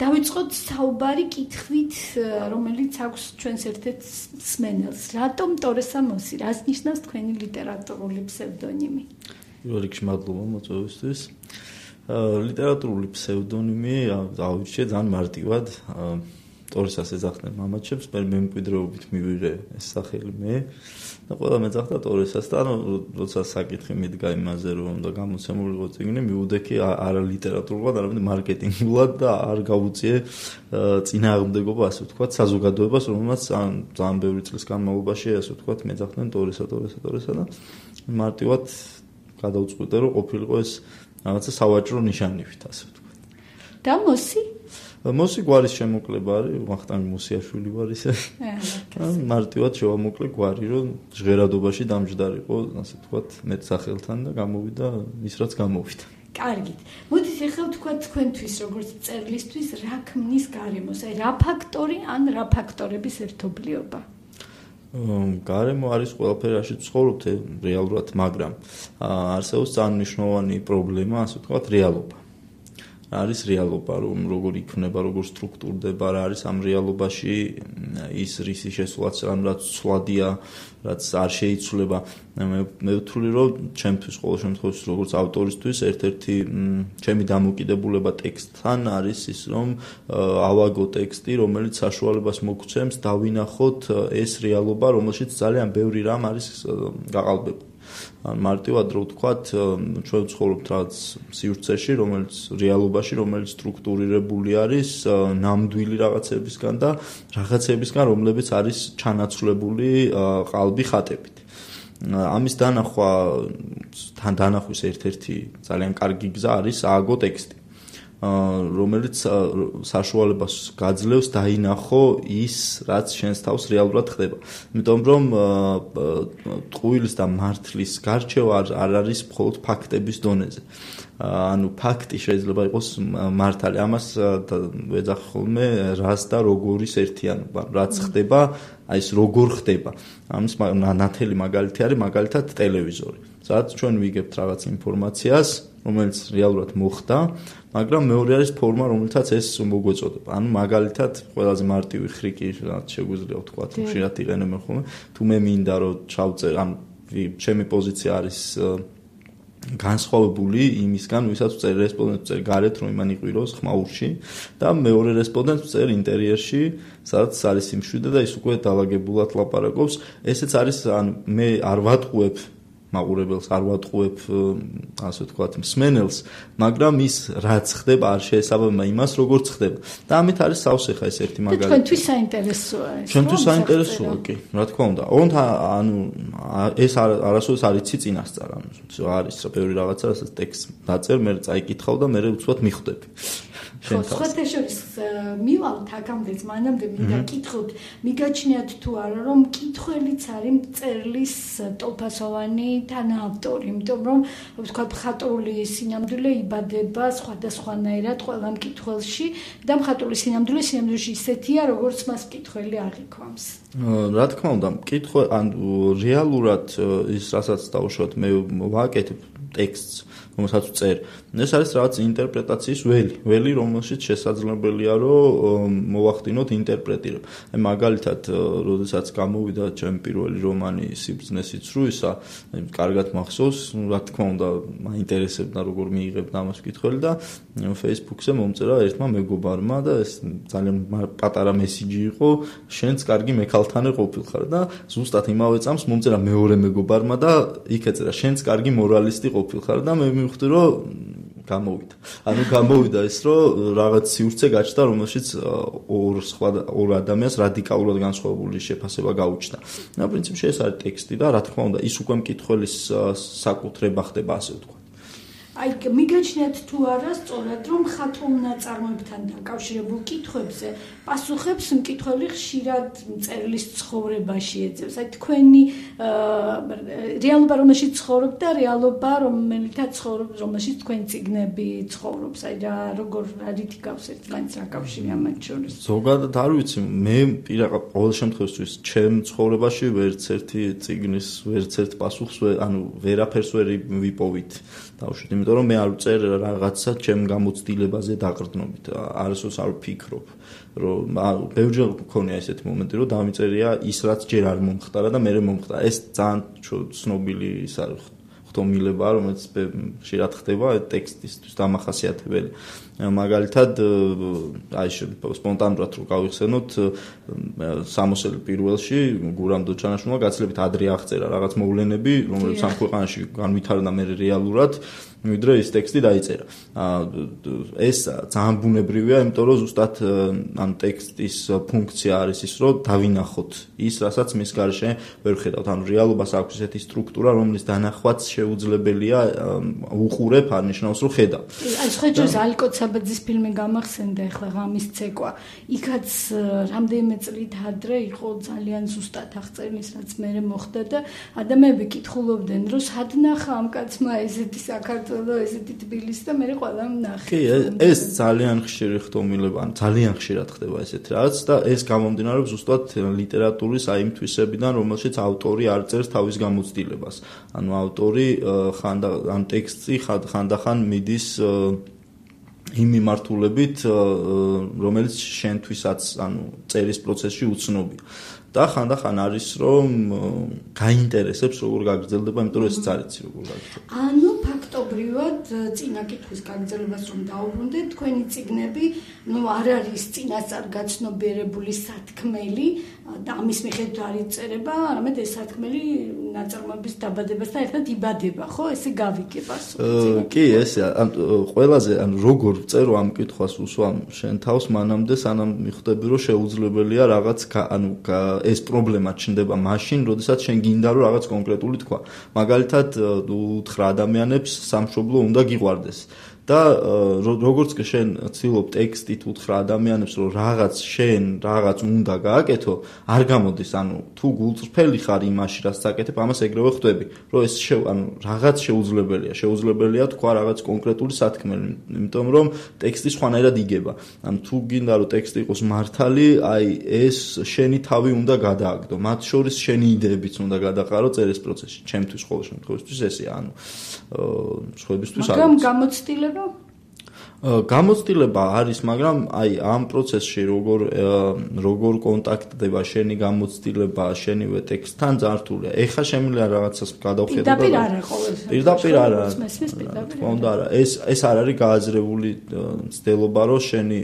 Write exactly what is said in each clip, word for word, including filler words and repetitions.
დავიწყოთ საუბარი კითხვით, რომელიც აქვს ჩვენს ერთ-ერთ მსმენელს. რატომ ტორესა მოსი? რას ნიშნავს თქვენი ლიტერატურული ფსევდონიმი? პირველ რიგში მადლობა მოწვევისთვის. ლიტერატურული ფსევდონიმი დავირჩიე ძალიან მარტივად. ტორესას ეძახდნენ მამაჩემს, მე მემკვიდრეობით მივიღე ეს სახელი მე. და ყველა მეძახდა ტორესას და როცა საკითხი მიდგა იმაზე, რომ უნდა გამოცემულიყო წიგნი, მივუდექი არა ლიტერატურულად, არამედ მარკეტინგულად და არ გავუწიე წინააღმდეგობა, ასე ვთქვათ, საზოგადოებას, რომელმაც ძალიან ბევრი წლის განმავლობაში, ასე ვთქვათ, მეძახდნენ ტორესა, ტორესა, ტორესა და მარტივად გადავწყვიტე, რომ ყოფილიყო ეს რაღაცა სავაჭრო ნიშანივით, ასე ვთქვათ. და მოსი? მოსი გვარის შემოკლება არის, ვახტანგ მოსიაშვილი ვარ ისე. მარტივად შევამოკლე გვარი, რომ ჟღერადობაში დამჯდარიყო, ასე ვთქვათ, მეც სახელთან და გამოვიდა ის რაც გამოვიდა. კარგით. მოდით ახლა ვთქვათ თქვენთვის, როგორც მწერლისთვის, რა ქმნის გარემოს? აი რა ფაქტორი ან რა ფაქტორების ერთობლიობა? გარემო არის ყველაფერი, რაშიც ვცხოვრობთ რეალურად, მაგრამ არსებობს ძალიან მნიშვნელოვანი პრობლემა, ასე ვთქვათ, რეალობა. არის რეალობა, რომ როგორ იქნება, როგორ სტრუქტურდება, რა არის ამ რეალობაში ის რისი შესულაც, რაც ცვლადია, რაც არ შეიცვლება. მე ვთვლი, რომ ჩემთვის ყოველ შემთხვევაში, როგორც ავტორისთვის, ერთ-ერთი ჩემი დამოკიდებულება ტექსტთან არის ის, რომ ავაგო ტექსტი, რომელიც საშუალებას მოგცემს დავინახოთ ეს რეალობა, რომელშიც ძალიან ბევრი რამ არის გაყალბებული. მარტივად რო ვთქვათ, ჩვენ ვცხოვრობთ რაღაც სივრცეში, რომელიც რეალობაში, რომელიც სტრუქტურირებული არის ნამდვილი რაღაცებისგან და რაღაცებისგან, რომლებიც არის ჩანაცვლებული ყალბი ხატებით. ამის დანახვა, თან დანახვის ერთ-ერთი ძალიან კარგი გზა არის ააგო ტექსტი, რომელიც საშუალებას გაძლევს დაინახო ის, რაც შენს თავს რეალურად ხდება. იმიტომ რომ ტყუილის და მართლის გარჩევა არ არის მხოლოდ ფაქტების დონეზე. ანუ ფაქტი შეიძლება იყოს მართალი. ამას ვეძახ ხოლმე რას და როგორის ერთიანობა, რაც ხდება, აი ეს როგორ ხდება. ამის ნათელი მაგალითი არის მაგალითად ტელევიზორი. სადაც ჩვენ ვიგებთ რაღაც ინფორმაციას, რომელიც რეალურად მოხდა, მაგრამ მეორე არის ფორმა, რომელთაც ეს მოგვეწოდება. ანუ მაგალითად, ყველაზე მარტივი ხრიკი, რაც შეგვიძლია ვთქვათ, ხშირად იყენებენ ხოლმე, თუ მე მინდა რომ ჩავწერ, ანუ ჩემი პოზიცია არის განსხვავებული იმისგან, ვისაც ვწერ რესპონდენტს ვწერ გარეთ, რომ იმან იყვიროს ხმაურში და მეორე რესპონდენტს ვწერ ინტერიერში, სადაც არის სიმშვიდე და ის უკვე დაალაგებულად ლაპარაკობს. ესეც არის, ანუ მე არ ვატყუებ მაყურებელს, არ ვატყუებ, ასე ვთქვათ, მსმენელს, მაგრამ ის რაც ხდება არ შეესაბამება იმას, როგორც ხდება. და ამით არის სავსე ხა ეს ერთი მაგალითი. და თქვენთვის საინტერესოა ეს. ჩვენთვის საინტერესოა, კი, რა თქმა უნდა. ოღონდ ანუ ეს არასოდეს არ იცი წინასწარ, ანუ არის ბევრი რაღაცა, რასაც ტექსტს დაწერ, მე წაიკითხავ და მე უცბად მიხვდები. სხვათა შორის მივალთ აქამდეც, მანამდე მინდა კითხოთ, მიგაჩნიათ თუ არა, რომ მკითხველიც არის მწერლის ტოლფასოვანი თანაავტორი, იმიტომ რომ ვთქვათ, მხატვრული სინამდვილე იბადება სხვადასხვანაირად ყველა მკითხველში და მხატვრული სინამდვილე სინამდვილეში ისეთია, როგორც მას მკითხველი აღიქვამს. რა თქმა უნდა, მკითხვა ან რეალურად ის რასაც დავუშვათ, მე ვაკეთებ ტექსტს, რომელსაც ვწერ. ეს არის რაღაც ინტერპრეტაციის ველი, ველი, რომელშიც შესაძლებელია, რომ მოვახდინოთ ინტერპრეტირება. აი მაგალითად, როდესაც გამოვიდა ჩემი პირველი რომანი სიბრძნესიც რუისა, კარგად მახსოვს, რა თქმა უნდა, მაინტერესებდა როგორ მიიღებდა ამას მკითხველი და Facebook-ზე მომწერა ერთმა მეგობარმა და ეს ძალიან პატარა მესიჯი იყო, შენც კარგი მექალთანე ყოფილხარ და ზუსტად იმავე წამს მომწერა მეორე მეგობარმა და იქ ეწერა, შენც კარგი მორალისტი ყოფილხარ და მე მივხვდი, რომ გამოვიდა. ანუ გამოვიდა ის, რომ რაღაც სივრცე გაჩნდა, რომელშიც ორ სხვა ორ ადამიანს რადიკალურად განსხვავებული შეფასება გაუჩნდა. და პრინციპში ეს არის ტექსტი და რა თქმა უნდა, ის უკვე მკითხველის საკუთრება ხდება, ასე ვთქვათ. აი, მიგაჩნიათ თუ არა სწორად, რომ მხატვრულ ნაწარმოებთან დაკავშირებულ კითხვებზე პასუხებს მკითხველი ხშირად მწერლის ცხოვრებაში ეძებს. აი, თქვენი რეალობა, რომელშიც ცხოვრობთ და რეალობა, რომელითაც ცხოვრობთ, რომელშიც თქვენი წიგნები ცხოვრობს. აი, რა როგორ რითი გავს ერთმანეთს რა კავშირი ამათ შორის? ზოგადად არ ვიცი, მე ყოველ შემთხვევაში ჩემ ცხოვრებაში ვერც ერთი წიგნის, ვერც ერთ პასუხს, ანუ ვერაფერს ვერ ვიპოვით. დავუშვით, იმიტომ იმიტომ რომ მე არ ვწერ რაღაცა ჩემ გამოცდილებაზე დაყრდნობით. არასდროს არ ვფიქრობ, რომ ბევრჯერ მქონია ესეთი მომენტი, რომ დამიწერია ის, რაც ჯერ არ მომხდარა და მე მომხდარა. ეს ძალიან ცნობილი ის არის ხტომილებაა, რომელიც ხშირად ხდება ტექსტისთვის დამახასიათებელი. მაგალითად, აი სპონტანურად რო გავიხსენოთ, სამოსელი პირველში გურამ დოჩანაშვილმა გაცილებით ადრე აღწერა რაღაც მოვლენები, რომლებიც ამ ქვეყანაში განვითარდა მე რეალურად, ვიდრე ის ტექსტი დაიწერა. ეს ძალიან ბუნებრივია, იმიტომ რომ ზუსტად ამ ტექსტის ფუნქცია არის ის, რომ დავინახოთ ის, რასაც მის გარშე ვერ ხედავთ. ანუ რეალობას აქვს ესეთი სტრუქტურა, რომლის დანახვაც შეუძლებელია უყურებ, არნიშნავს რომ ხედავ. აი შეჯერს ალკოცაბაძის ფილმი გამახსენდა ახლა ღამის ცეკვა. იქაც რამდენიმე წლით ადრე იყო ძალიან ზუსტად აღწერილი, რაც მე მოხდა და ადამიანები კითხულობდნენ, რომ სად ნახა ამ კაცმა ესეთი საქართველო ესეთი თბილისი და მე ყველა ნახე. კი, ეს ძალიან ხშირი ხტომილება, ძალიან ხშირად ხდება ესეთი რაღაც და ეს გამომდინარეობს ზუსტად ლიტერატურის აი იმ თვისებიდან, რომელშიც ავტორი არ წერს თავის გამოცდილებას. ანუ ავტორი ხანდა ამ ტექსტი ხანდახან მიდის იმ მიმართულებით, რომელიც შენთვისაც, ანუ წერის პროცესში უცნობია. და ხანდახან არის რომ გაინტერესებს როგორ გაგრძელდება, იმიტომ რომ ესეც არიცი როგორ გაგრძელდება. ანუ ფაქტობრივად წინა კითხვის გაგრძელებას რომ დაუბრუნდეთ, თქვენი წიგნები, ну არ არის წინასწარ გაცნობიერებული სათქმელი და ამის მიხედვით არ იწერება, არამედ ეს სათქმელი ნაწარმოების დაბადებასთან ერთად იბადება, ხო? ესე გავიგება სულ. კი, ესე ყველაზე ანუ როგორ წერო ამ კითხვას უსვამ შენ თავს მანამდე, სანამ მიხვდები რომ შეუძლებელია რაღაც ანუ ეს პრობლემა ჩნდება მაშინ, როდესაც შენ გინდა რომ რაღაც კონკრეტული თქვა. მაგალითად, უთხრა ადამიანებს სამშობლო უნდა გიყვარდეს. და როგორც კი შენ ცდილობ ტექსტით უთხრა ადამიანებს რომ რაღაც შენ რაღაც უნდა გააკეთო, არ გამოდის, ანუ თუ გულწრფელი ხარ იმაში, რაც წაკეთებ, ამას ეგრევე ხვდები, რომ ეს ანუ რაღაც შეუძლებელია, შეუძლებელია თქვა რაღაც კონკრეტული სათქმელი, იმიტომ რომ ტექსტი სხვანაირად იგება. ანუ თუ გინდა რომ ტექსტი იყოს მართალი, აი ეს შენი თავი უნდა გადააგდო, მათ შორის შენი იდეებიც უნდა გადაყარო წერის პროცესში. ჩემთვის ყოველ შემთხვევაში ესეა, ანუ სხვებისთვის არის. მაგრამ გამოცდილება გამოცდილება არის, მაგრამ აი ამ პროცესში როგორ როგორ კონტაქტდება შენი გამოცდილება შენივე ტექსტთან ძართულია. ეხა შემიძლია რაღაცას გადავხედო და პირდაპირ არა ყოველთვის. პირდაპირ არა. თქმა უნდა არა. ეს ეს არ არის გააზრებული ცდელობა, რომ შენი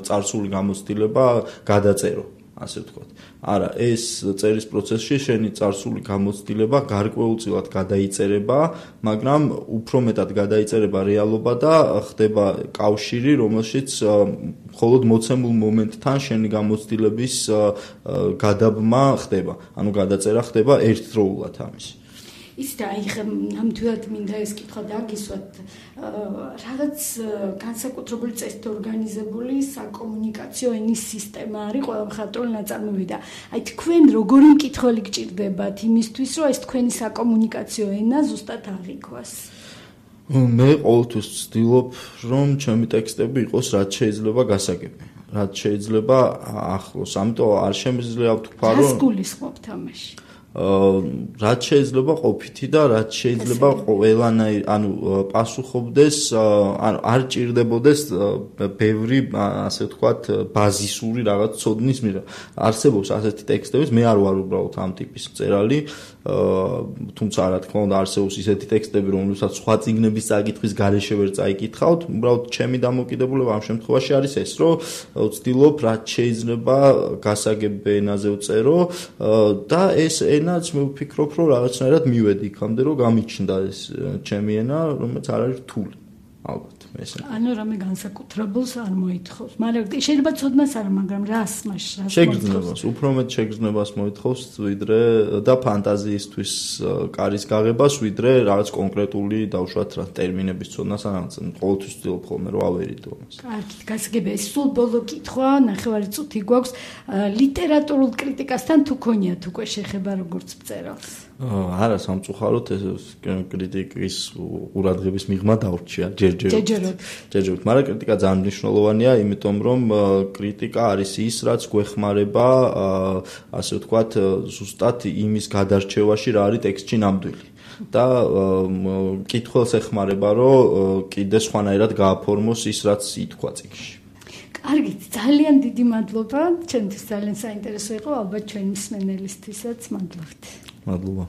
წარსული გამოცდილება გადაწერო, ასე ვთქვათ. არა, ეს წერის პროცესში შენი წარსული გამოცდილება გარკვეულწილად გადაიწერება, მაგრამ უფრო მეტად გადაიწერება რეალობა და ხდება კავშირი, რომელშიც მხოლოდ მოცემულ მომენტთან შენი გამოცდილების გადაბმა ხდება, ანუ გადაწერა ხდება ერთდროულად ამის. ის და აი ნამდვილად მინდა ეს კითხვა დაგისვათ, რაღაც განსაკუთრებული წესით ორგანიზებული საკომუნიკაციო ენის სისტემა არის ყველა მხატვრული ნაწარმოები და აი თქვენ როგორი მკითხველი გჭირდებათ იმისთვის, რომ ეს თქვენი საკომუნიკაციო ენა ზუსტად აღიქვას? მე ყოველთვის ვცდილობ, რომ ჩემი ტექსტები იყოს რაც შეიძლება გასაგები, რაც შეიძლება ახლოს, ამიტომ არ შემიძლია ვთქვა, რომ რას გულისხმობთ ამაში? რაც შეიძლება ყოფითი და რაც შეიძლება ყველანაირ ანუ პასუხობდეს, ანუ არ ჭირდებოდეს ბევრი ასე ვთქვათ ბაზისური რაღაც ცოდნის მიღება. არსებობს ასეთი ტექსტები, მე არ ვარ უბრალოდ ამ ტიპის მწერალი, თუმცა რა თქმა უნდა არსებობს ისეთი ტექსტები, რომლებსაც სხვა წიგნების წაკითხვის გარეშე ვერ წაიკითხავთ, უბრალოდ ჩემი დამოკიდებულება ამ შემთხვევაში არის ეს, რომ ვცდილობ რაც შეიძლება გასაგებ ენაზე ვწერო და ეს ენაც მე ვფიქრობ, რომ რაღაცნაირად მივედი იქამდე, რომ გამიჩნდა ეს ჩემი ენა, რომელიც არ არის რთული, ალბათ. ანუ რამე განსაკუთრებულს არ მოითხოვს, მაგრამ შეიძლება ცოდნას არა, მაგრამ რას მაშ რას შეგრძნებას, უფრო მეტ შეგრძნებას მოითხოვს, ვიდრე და ფანტაზიისთვის კარის გაღებას, ვიდრე რაღაც კონკრეტული დავუშვათ რა ტერმინების ცოდნას რაღაც ყოველთვის ვცდილობ ხოლმე რომ ავერიდო ამას. კარგით, გასაგებია, ეს სულ ბოლო კითხვა, ნახევარი წუთი გვაქვს, ლიტერატურულ კრიტიკასთან თუ გქონიათ უკვე შეხება როგორც მწერალს? არა, სამწუხაროდ ეს კრიტიკის ყურადღების მიღმა დაურჩია ჯერჯერობით. ჯერჯერობით, მაგრამ კრიტიკა ძალიან მნიშვნელოვანია, იმიტომ რომ კრიტიკა არის ის, რაც გვეხმარება, ასე ვთქვათ, ზუსტად იმის გადარჩევაში, რა არის ტექსტში ნამდვილი. და კითხვას ეხმარება, რომ კიდე სხვანაირად გააფორმოს ის, რაც ითქვა წიგნში. კარგით, ძალიან დიდი მადლობა. ჩვენთვის ძალიან საინტერესო იყო, ალბათ ჩვენი მსმენელისთვისაც. მადლობთ. მადლობა.